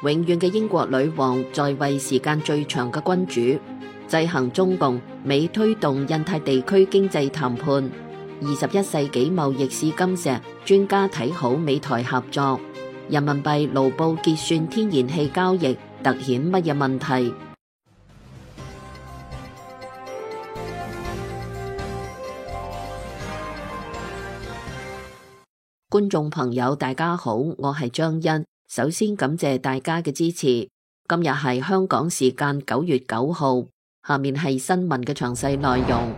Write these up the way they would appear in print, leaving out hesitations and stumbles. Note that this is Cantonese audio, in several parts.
永遠嘅英國女王在位時間最長嘅君主，制衡中共，美推動印太地區經濟談判。21世紀貿易試金石，專家睇好美台合作。人民幣盧布結算天然氣交易凸顯乜嘢問題？觀眾朋友大家好，我係張欣。首先感謝大家嘅支持。今日係香港時間9月9號，下面係新聞嘅詳細內容。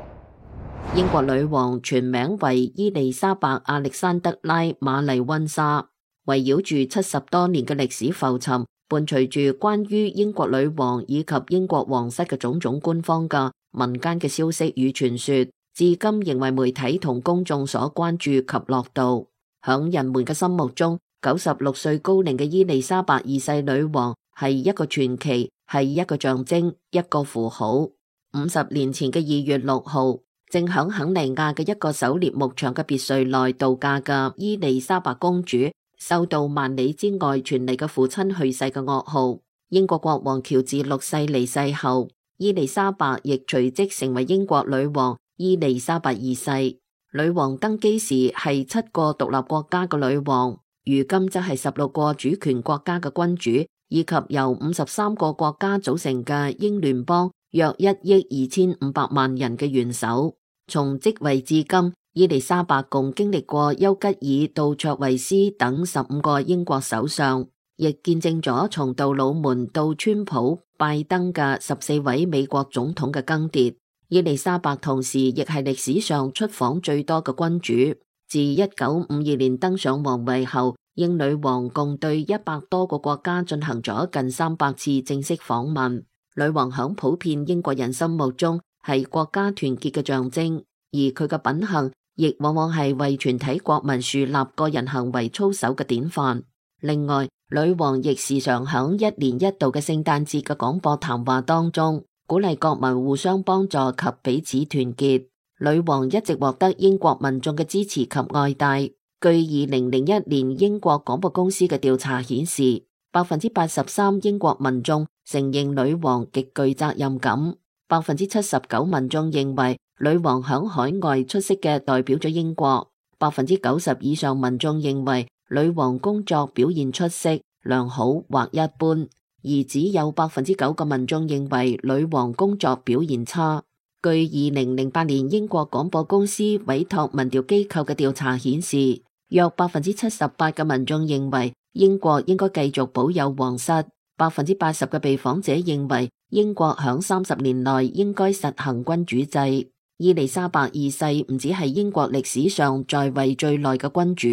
英國女王全名為伊麗莎白亞歷山德拉瑪麗溫莎，圍繞住70多年嘅歷史浮沉，伴隨住關於英國女王以及英國皇室嘅種種官方嘅民間嘅消息與傳說，至今仍為媒體同公眾所關注及樂道。響人們嘅心目中，96歲高齡嘅伊麗莎白二世女王係一個傳奇，係一個象徵，一個符號。50年前嘅2月6號，正響肯尼亞嘅一個狩獵牧場嘅別墅內度假嘅伊麗莎白公主，收到萬里之外傳嚟嘅父親去世嘅噩耗。英國國王喬治6世離世後，伊麗莎白亦隨即成為英國女王伊麗莎白二世。女王登基時係7個獨立國家嘅女王，如今則係16個主權國家嘅君主，以及由53個國家組成嘅英聯邦約1億2500萬人嘅元首。從即位至今，伊麗莎白共經歷過丘吉爾到卓慧思等15個英國首相，亦見證咗從杜魯門到川普、拜登嘅14位美國總統嘅更迭。伊麗莎白同時亦係歷史上出訪最多嘅君主。自1952年登上皇位後，英女王共對100多個國家進行咗近300次正式訪問。女王響普遍英國人心目中係國家團結嘅象徵，而佢嘅品行亦往往係為全體國民樹立個人行為操守嘅典範。另外，女王亦時常響1年1度嘅聖誕節嘅廣播談話當中，鼓勵國民互相幫助及彼此團結。女王一直獲得英國民眾嘅支持及愛戴。據2001年英國廣播公司嘅調查顯示，83%英國民眾承認女王極具責任感，79%民眾認為女王響海外出色嘅代表咗英國，90%以上民眾認為女王工作表現出色、良好或一般。而只有9%嘅民眾認為女王工作表現差。據2008年英國廣播公司委託民調機構嘅調查顯示，約78%嘅民眾認為英國應該繼續保有皇室，80%嘅被訪者認為英國響30年內應該實行君主制。伊麗莎白二世唔只係英國歷史上在位最耐嘅君主，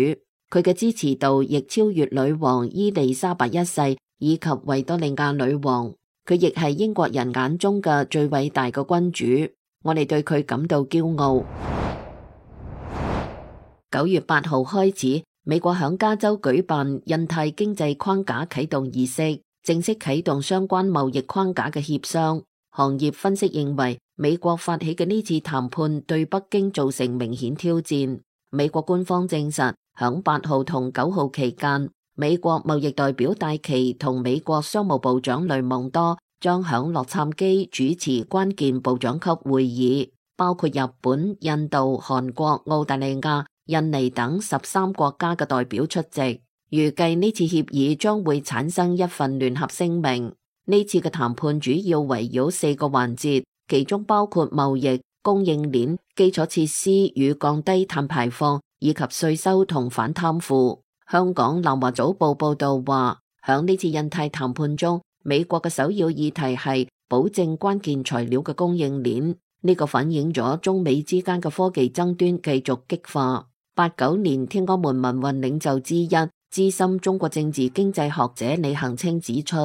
佢嘅支持度亦超越女王伊麗莎白一世以及維多利亞女王，佢亦係英國人眼中嘅最偉大嘅君主，我哋對佢感到驕傲。9月8號開始，美國響加州舉辦印太經濟框架啟動儀式，正式啟動相關貿易框架嘅協商。行業分析認為，美國發起嘅呢次談判對北京造成明顯挑戰。美國官方證實，響8號同9號期間，美國貿易代表戴琪同美國商務部長雷蒙多將響洛杉磯主持關鍵部長級會議，包括日本、印度、韓國、澳大利亞、印尼等13國家嘅代表出席。預計呢次協議將會產生一份聯合聲明。呢次嘅談判主要圍繞4個環節，其中包括貿易、供應鏈、基礎設施與降低碳排放，以及稅收同反貪腐。香港南華早報報道話，響呢次印太談判中，美國嘅首要議題係保證關鍵材料嘅供應鏈。呢個反映咗中美之間嘅科技爭端繼續激化。89年天安門民運領袖之一、資深中國政治經濟學者李恒清指出，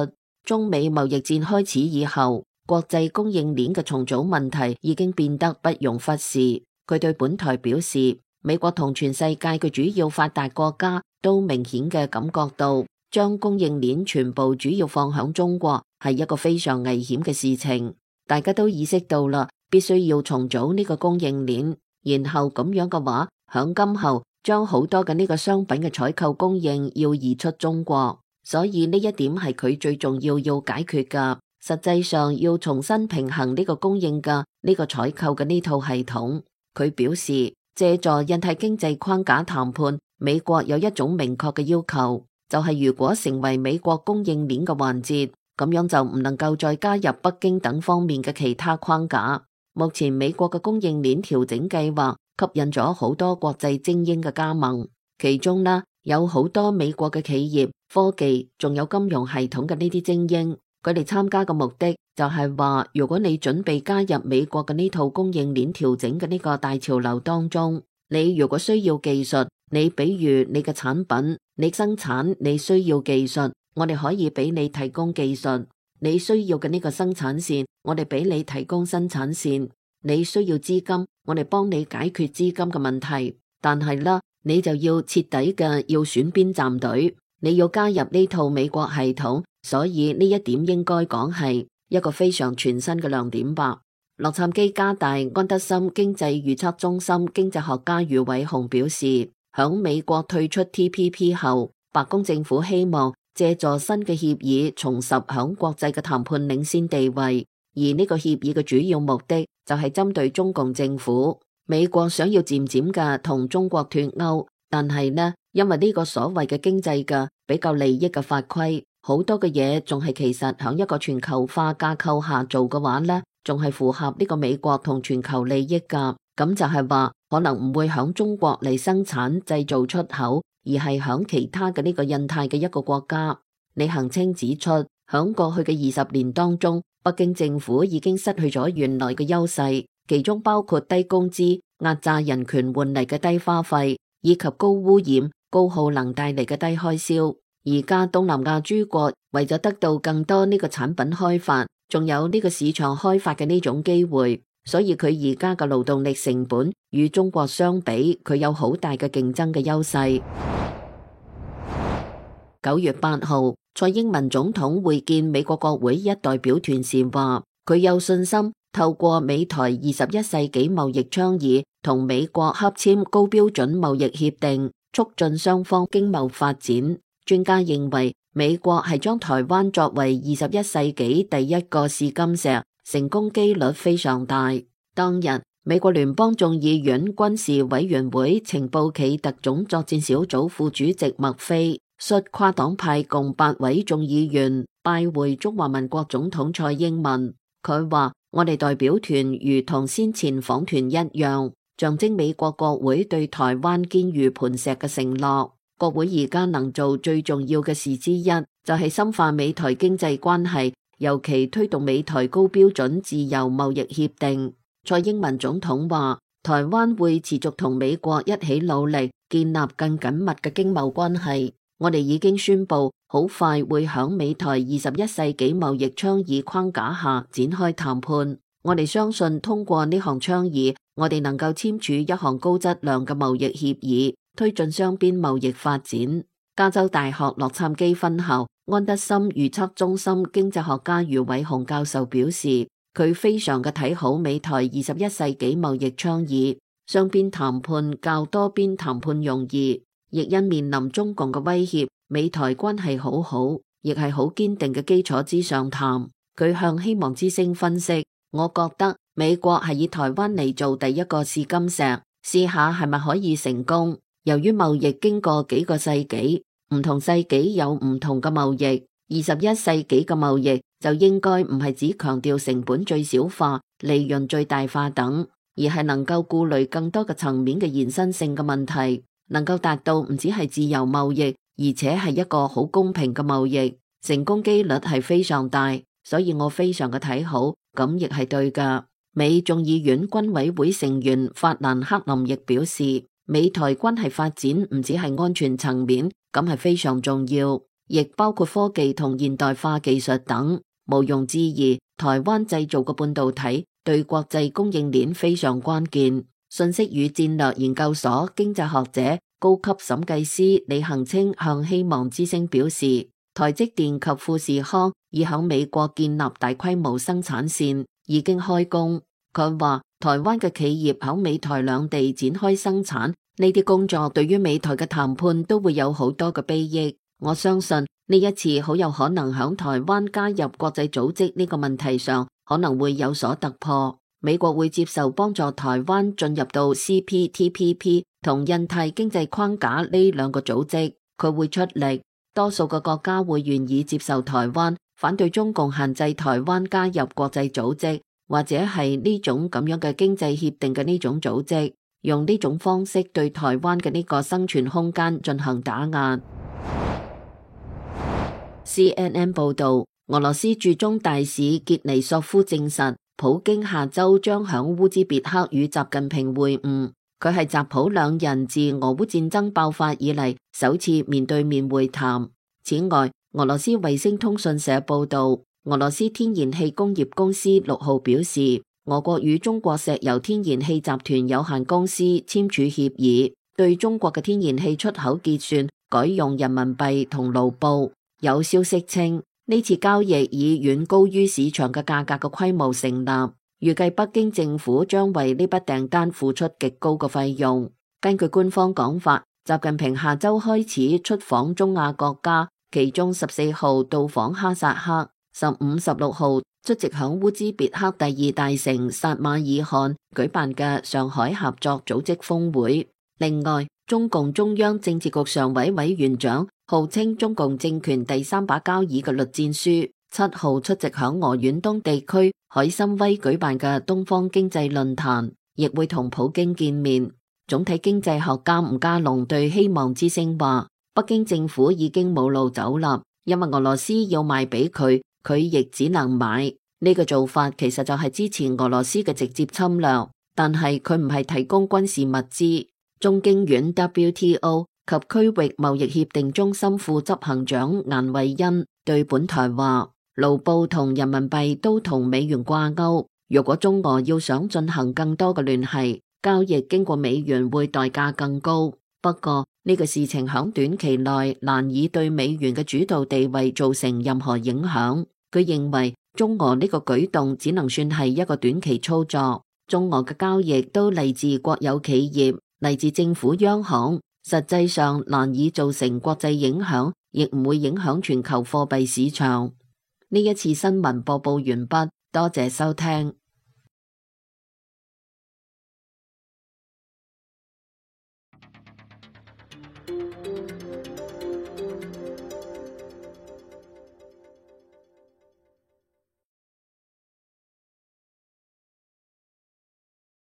中美貿易戰開始以後，國際供應鏈嘅重組問題已經變得不容忽視。佢對本台表示，美國同全世界嘅主要發達國家都明顯嘅感覺到，將供應鏈全部主要放響中國係一個非常危險嘅事情。大家都意識到啦，必須要重組呢個供應鏈，然後咁樣嘅話，響今後將好多嘅呢個商品嘅採購供應要移出中國。所以呢一點係佢最重要解決㗎。實際上要重新平衡呢個供應嘅呢個採購嘅呢套系統。佢表示，借助印太經濟框架談判，美國有一種明確嘅要求，就係如果成為美國供應鏈嘅環節，咁樣就唔能夠再加入北京等方面嘅其他框架。目前美國嘅供應鏈調整計劃吸引咗好多國際精英嘅加盟，其中呢有好多美國嘅企業、科技仲有金融系統嘅呢啲精英。佢哋參加嘅目的就係話，如果你準備加入美國嘅呢套供應鏈調整嘅呢個大潮流當中，你如果需要技術，你比如你嘅產品，你生產你需要技術，我哋可以俾你提供技術。你需要嘅呢個生產線，我哋俾你提供生產線。你需要資金，我哋幫你解決資金嘅問題。但係啦，你就要徹底嘅要選邊站隊，你要加入呢套美國系統。所以呢一點應該講係一個非常全新嘅亮點吧。洛杉磯加大安德森經濟預測中心經濟學家余偉雄表示，響美國退出 TPP 後，白宮政府希望借助新嘅協議重拾響國際嘅談判領先地位，而呢個協議嘅主要目的就係針對中共政府。美國想要漸漸嘅同中國脫鈎，但係呢，因為呢個所謂嘅經濟嘅比較利益嘅法規，好多嘅嘢仲係其實響一個全球化架構下做嘅話呢，仲係符合呢個美國同全球利益噶。咁就係話可能唔會響中國嚟生產製造出口，而係響其他嘅呢個印太嘅一個國家。李恒清指出，響過去嘅20年當中，北京政府已經失去咗原來嘅優勢，其中包括低工資、壓榨人權換嚟嘅低花費，以及高污染、高耗能帶嚟嘅低開銷。而家東南亞諸國為咗得到更多呢個產品開發，仲有呢個市場開發嘅呢種機會，所以佢而家嘅勞動力成本與中國相比，佢有好大嘅競爭嘅優勢。9月8號，蔡英文總統會見美國國會一代表團時話，佢有信心透過美台21世紀貿易倡議同美國洽簽高標準貿易協定，促進雙方經貿發展。專家認為，美國係將台灣作為21世紀第一個試金石，成功機率非常大。當日，美國聯邦眾議院軍事委員會情報暨特種作戰小組副主席麥菲率跨黨派共8位眾議員拜會中華民國總統蔡英文。佢話：我哋代表團如同先前訪團一樣，象徵美國國會對台灣堅如磐石嘅承諾。國會而家能做最重要嘅事之一，就係深化美台經濟關係，尤其推動美台高標準自由貿易協定。蔡英文總統話，台灣會持續同美國一起努力，建立更緊密嘅經貿關係。我哋已經宣布，好快會響美台21世紀貿易倡議框架下展開談判。我哋相信通過呢項倡議，我哋能夠簽署一項高質量嘅貿易協議，推進雙邊貿易發展。加州大學洛杉磯分校安德森預測中心經濟學家余偉雄教授表示，佢非常嘅睇好美台21世紀貿易倡議，雙邊談判較多邊談判容易，亦因面臨中共嘅威脅，美台關係好好，亦係好堅定嘅基礎之上談。佢向希望之聲分析，我覺得美國係以台灣嚟做第一個試金石，試下係咪可以成功。由於貿易經過幾個世紀，唔同世紀有唔同嘅貿易，21世紀嘅貿易就應該唔係只強調成本最小化、利潤最大化等，而係能夠顧慮更多嘅層面嘅延伸性嘅問題，能夠達到唔只係自由貿易，而且係一個好公平嘅貿易，成功機率係非常大，所以我非常嘅睇好，咁亦係對噶。美眾議院軍委會成員法蘭克林亦表示，美台關係發展唔只係安全層面，咁係非常重要，亦包括科技同現代化技術等。毋庸置疑，台灣製造嘅半導體對國際供應鏈非常關鍵。信息與戰略研究所經濟學者、高級審計師李恒清向希望之聲表示，台積電及富士康已響美國建立大規模生產線，已經開工。佢話，台灣嘅企業響美台兩地展開生產，呢啲工作對於美台嘅談判都會有好多嘅裨益。我相信呢一次好有可能響台灣加入國際組織呢個問題上可能會有所突破。美國會接受幫助台灣進入到 CPTPP 同印太經濟框架呢兩個組織，佢會出力。多數嘅國家會願意接受台灣，反對中共限制台灣加入國際組織，或者係呢種咁樣嘅經濟協定嘅呢種組織，用呢種方式對台灣嘅呢個生存空間進行打壓。CNN 報道，俄羅斯駐中大使傑尼索夫證實，普京下周將響烏茲別克與習近平會晤，佢係習普兩人自俄烏戰爭爆發以嚟首次面對面會談。此外，俄羅斯衛星通訊社報道，俄羅斯天然氣工業公司6號表示，俄國與中國石油天然氣集團有限公司簽署協議，對中國嘅天然氣出口結算改用人民幣同盧布。有消息稱，呢次交易以遠高於市場嘅價格嘅規模成立，預計北京政府將為呢筆訂單付出極高嘅費用。根據官方講法，習近平下周開始出訪中亞國家，其中14號到訪哈薩克，15、16號出席響烏茲別克第2大城薩馬爾罕舉辦嘅上海合作組織峰會。另外，中共中央政治局常委委員長，號稱中共政權第3把交椅嘅栗戰書7號出席響俄遠東地區海參崴舉辦嘅東方經濟論壇，亦會同普京見面。總體經濟學家吳家龍對希望之聲話，北京政府已經冇路走啦，因為俄羅斯要賣俾佢，佢亦只能買。呢個做法其實就係支持俄羅斯嘅直接侵略，但係佢唔係提供軍事物資。中經院 WTO 及區域貿易協定中心副執行長顏惠恩對本台話，盧布同人民幣都同美元掛鈎，如果中俄要想進行更多嘅聯繫，交易經過美元會代價更高。不過呢個事情響短期內難以對美元嘅主導地位造成任何影響。佢認為中俄呢個舉動只能算係一個短期操作，中俄嘅交易都嚟自國有企業，嚟自政府央行，實際上難以造成國際影響，亦唔會影響全球貨幣市場。呢一次新聞播報完畢，多謝收聽。